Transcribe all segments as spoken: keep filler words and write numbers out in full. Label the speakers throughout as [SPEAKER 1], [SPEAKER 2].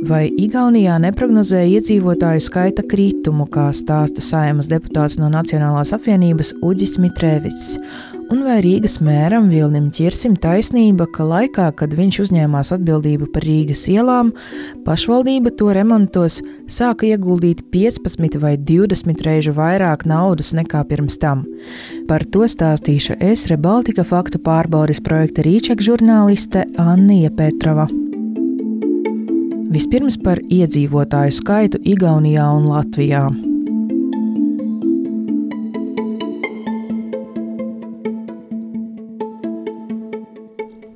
[SPEAKER 1] Vai Igaunijā neprognozē iedzīvotāju skaita kritumu, kā stāsta Saeimas deputāts no Nacionālās apvienības Uģis Mitrēvics? Un vai Rīgas mēram Vilnim Ķirsim taisnība, ka laikā, kad viņš uzņēmās atbildību par Rīgas ielām, pašvaldība to remontos sāka ieguldīt piecpadsmit vai divdesmit reižu vairāk naudas nekā pirms tam? Par to stāstīšu es, Rebaltika faktu pārbaudes projekta Rīček žurnāliste Annija Petrova. Vispirms par iedzīvotāju skaitu Igaunijā un Latvijā.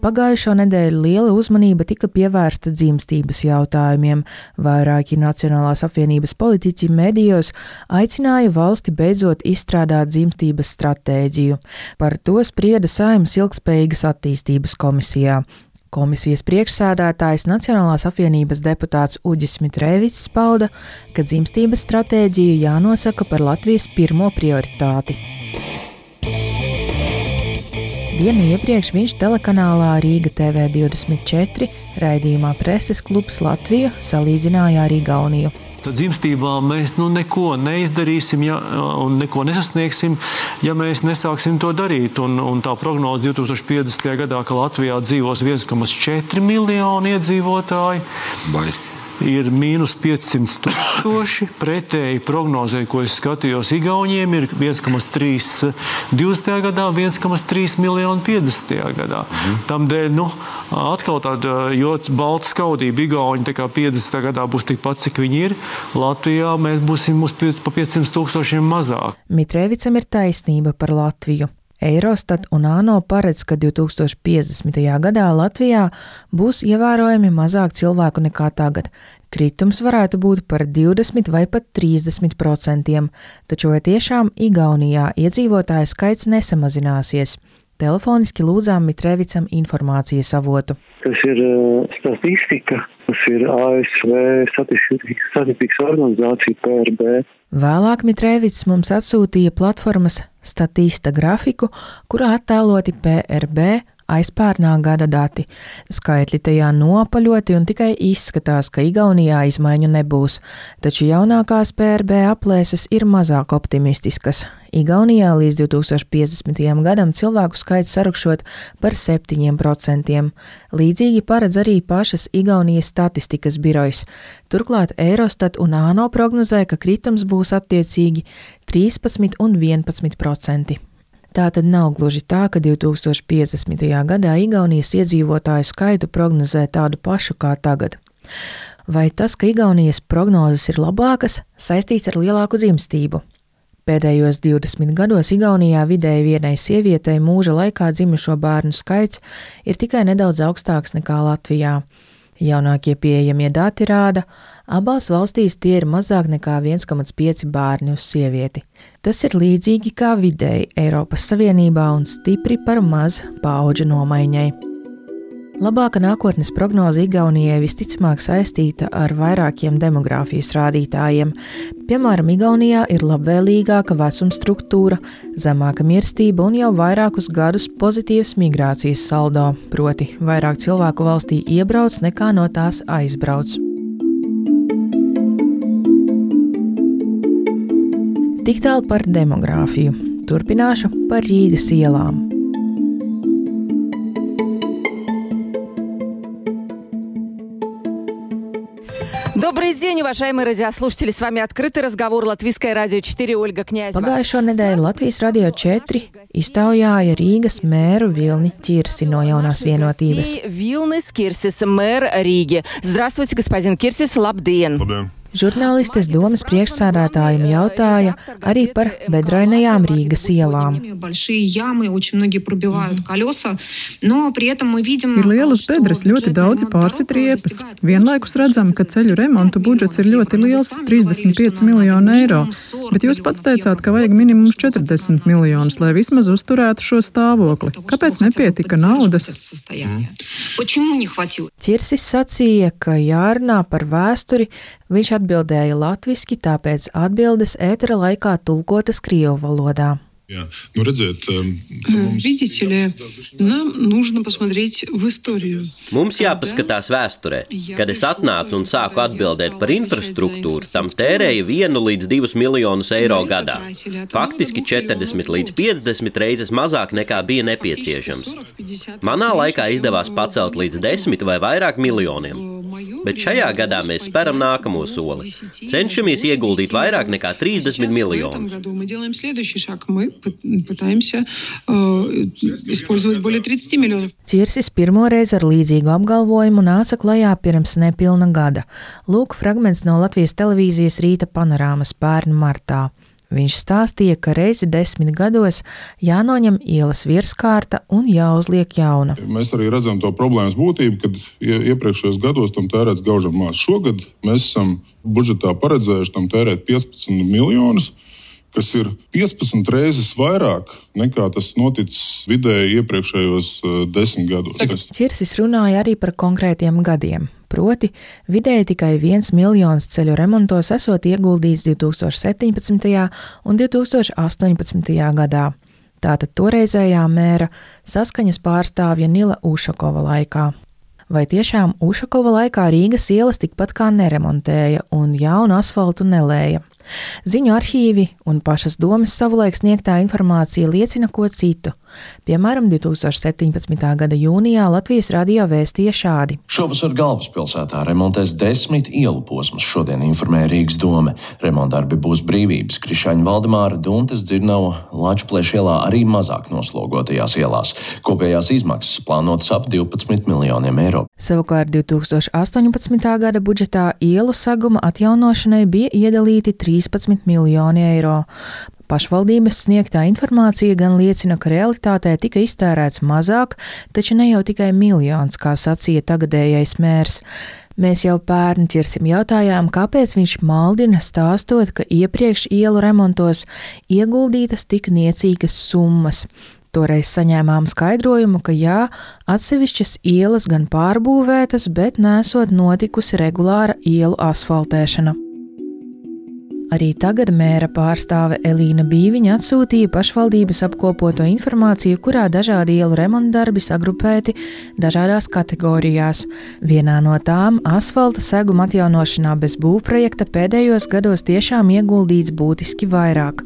[SPEAKER 1] Pagājušo nedēļu liela uzmanība tika pievērsta dzimstības jautājumiem. Vairāki Nacionālās apvienības politiķi medijos aicināja valsti beidzot izstrādāt dzimstības stratēģiju. Par to sprieda Saeimas ilgtspējīgas attīstības komisijā. Komisijas priekšsēdētājs Nacionālās apvienības deputāts Uģis Mitrēvics pauda, ka dzimstības stratēģija jānosaka par Latvijas pirmo prioritāti. Dienu iepriekš viņš telekanālā Rīga T V divdesmit četri raidījumā Preses klubs Latvija salīdzināja ar Igauniju.
[SPEAKER 2] Tad dzimstībā mēs nu, neko neizdarīsim ja, un neko nesasniegsim, ja mēs nesāksim to darīt. Un, un tā prognoze divi tūkstoši piecdesmitajā gadā, ka Latvijā dzīvos viens komats četri miljoni iedzīvotāji.
[SPEAKER 3] Baisi.
[SPEAKER 2] Ir mīnus piecsimt tūkstoši. Pretēji prognozē, ko es skatījos Igauniem, ir viens komats trīs divdesmitajā gadā, viens komats trīs miljoni piecdesmitajā gadā. Mhm. Tamdēļ, nu, atkal tāda ļoti balta skaudība. Igauni tā kā piecdesmitajā gadā būs tikpat, cik viņi ir. Latvijā mēs būsim pa piecsimt tūkstošiem mazāk.
[SPEAKER 1] Mitrēvicam ir taisnība par Latviju. Eirostat un ANO paredz, ka divi tūkstoši piecdesmitajā gadā Latvijā būs ievērojami mazāk cilvēku nekā tagad. Kritums varētu būt par divdesmit vai pat trīsdesmit procentiem, taču vai tiešām Igaunijā iedzīvotāju skaits nesamazināsies? Telefoniski lūdzām Mitrēvicam informācijas avotu.
[SPEAKER 4] Tas ir uh, statistika, tas ir A S V statistikas organizācija P R B.
[SPEAKER 1] Vēlāk Mitrēvics mums atsūtīja platformas Statista grafiku, kurā attēloti P R B aizpērnā gada dati. Skaitļi tajā nopaļoti un tikai izskatās, ka Igaunijā izmaiņu nebūs, taču jaunākās P R B aplēses ir mazāk optimistiskas. Igaunijā līdz divi tūkstoši piecdesmitajam gadam cilvēku skaits sarukšot par septiņiem procentiem. Līdzīgi paredz arī pašas Igaunijas statistikas birojas. Turklāt Eirostat un ANO prognozē, ka kritums būs attiecīgi trīspadsmit un vienpadsmit procenti. Tā tad nav gluži tā, ka divi tūkstoši piecdesmitajā gadā Igaunijas iedzīvotāju skaitu prognozē tādu pašu kā tagad. Vai tas, ka Igaunijas prognozes ir labākas, saistīts ar lielāku dzimstību? Pēdējos divdesmit gados Igaunijā vidēji vienai sievietei mūža laikā dzimušo bērnu skaits ir tikai nedaudz augstāks nekā Latvijā. Jaunākie pieejamie dati rāda, abās valstīs tie ir mazāk nekā viens komats pieci bērni uz sievieti. Tas ir līdzīgi kā vidēji Eiropas Savienībā un stipri par maz paudžu nomaiņai. Labāka nākotnes prognoze Igaunijai visticamāk saistīta ar vairākiem demogrāfijas rādītājiem. Piemēram, Igaunijā ir labvēlīgāka vecuma struktūra, zemāka mirstība un jau vairākus gadus pozitīvs migrācijas saldo, proti vairāk cilvēku valstī iebrauc nekā no tās aizbrauc. Tik tālu par demogrāfiju. Turpināšu par Rīgas ielām.
[SPEAKER 5] Добрый день, уважаемые радиослушатели. С вами открытый разговор Латвийское радио четыре, Ольга Князева.
[SPEAKER 1] Pagājušo nedēļu Latvijas radio četri iztaujāja Rīgas mēru Vilni Ķirsi no Jaunās vienotības.
[SPEAKER 5] Vilnis Kirsis, mэр Риги. Здравствуйте, господин Кирсис, labdien!
[SPEAKER 3] Labdien!
[SPEAKER 1] Žurnālistes domas priekšsēdētājiem jautāja arī par bedrainajām Rīgas ielām.
[SPEAKER 6] Ir lielas bedres, ļoti daudzi pārsit riepas. Vienlaikus redzam, ka ceļu remontu budžets ir ļoti liels – trīsdesmit pieci miljoni eiro. Bet jūs pats teicāt, ka vajag minimums četrdesmit miljonus, lai vismaz uzturētu šo stāvokli. Kāpēc nepietika naudas?
[SPEAKER 1] Ķirsis sacīja, ka jārunā par vēsturi. Viņš atbildēja latviski, tāpēc atbildes ētera laikā tulkotas krievu valodā.
[SPEAKER 3] Jā, nu redziet,
[SPEAKER 7] mums... Видите ли, нам нужно посмотреть в историю.
[SPEAKER 8] Mums jāpaskatās vēsturē. Kad es atnācu un sāku atbildēt par infrastruktūru, tam tērēja vienu līdz divus miljonus eiro gadā. Faktiski četrdesmit līdz piecdesmit reizes mazāk nekā bija nepieciešams. Manā laikā izdevās pacelt līdz desmit vai vairāk miljoniem. Bet šajā gadā mēs speram nākamo soli. Cenšamies ieguldīt vairāk nekā trīsdesmit miljonus.
[SPEAKER 1] Cirsis pirmoreiz ar līdzīgu apgalvojumu nāca klajā pirms nepilna gada. Lūk fragments no Latvijas televīzijas Rīta panorāmas pērn martā. Viņš stāstīja, ka reizi desmit gados jānoņem ielas virskārta un jāuzliek jauna.
[SPEAKER 3] Mēs arī redzam to problēmas būtību, kad iepriekšējos gados tam tērēts gaužam maz. Šogad mēs esam budžetā paredzējuši tam tērēt piecpadsmit miljonus, kas ir piecpadsmit reizes vairāk nekā tas noticis vidēji iepriekšējos desmit gados.
[SPEAKER 1] Cirsis runāja arī par konkrētiem gadiem. Proti, vidēji tikai viens miljons ceļu remontos esot ieguldīts divi tūkstoši septiņpadsmitajā un divi tūkstoši astoņpadsmitajā gadā. Tātad toreizējā mēra saskaņas pārstāvja Nila Ušakova laikā. Vai tiešām Ušakova laikā Rīgas ielas tikpat kā neremontēja un jaunu asfaltu nelēja? Ziņu arhīvi un pašas domas savulaik sniegtā informācija liecina ko citu. Piemēram, divi tūkstoši septiņpadsmitā gada jūnijā Latvijas radio vēstīja šādi.
[SPEAKER 9] Šovasar galvaspilsētā remontēs desmit ielu posmus, šodien informēja Rīgas dome. Remontdarbi būs Brīvības, Krišaņa Valdemāra, Duntes, Dzirnava, Lačplēša ielā arī mazāk noslogotajās ielās. Kopējās izmaksas plānotas ap divpadsmit miljoniem eiro.
[SPEAKER 1] Savukārt divi tūkstoši astoņpadsmitā gada budžetā ielu seguma atjaunošanai bija iedalīti trīspadsmit miljoni eiro. Pašvaldības sniegtā informācija gan liecina, ka realitātē tika iztērēts mazāk, taču ne jau tikai miljons, kā sacīja tagadējais mērs. Mēs jau pērn Cirsim jautājām, kāpēc viņš maldina stāstot, ka iepriekš ielu remontos ieguldītas tik niecīgas summas. Toreiz saņēmām skaidrojumu, ka jā, atsevišķas ielas gan pārbūvētas, bet nesot notikusi regulāra ielu asfaltēšana. Arī tagad mēra pārstāve Elīna Bīviņa atsūtīja pašvaldības apkopoto informāciju, kurā dažādi ielu remontdarbi sagrupēti dažādās kategorijās. Vienā no tām asfalta seguma atjaunošanā bez būvprojekta pēdējos gados tiešām ieguldīts būtiski vairāk.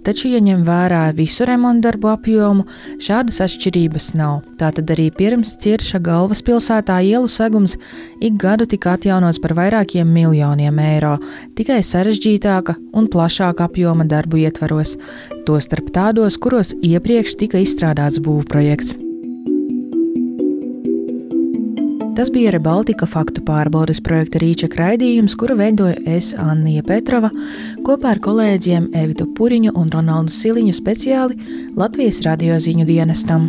[SPEAKER 1] Taču, ja ņem vērā visu remontdarbu apjomu, šādas atšķirības nav. Tātad arī pirms Cirša galvaspilsētā ielu segums ik gadu tika atjaunots par vairākiem miljoniem eiro, tikai sarežģītāk un plašāka apjoma darbu ietvaros, tostarp tādos, kuros iepriekš tika izstrādāts būvprojekts. Tas bija Rebaltika faktu pārbaudes projekta Rīčak raidījums, kuru veidoja es, Annija Petrova, kopā ar kolēģiem Evitu Puriņu un Ronaldu Siliņu speciāli Latvijas radio ziņu dienestam.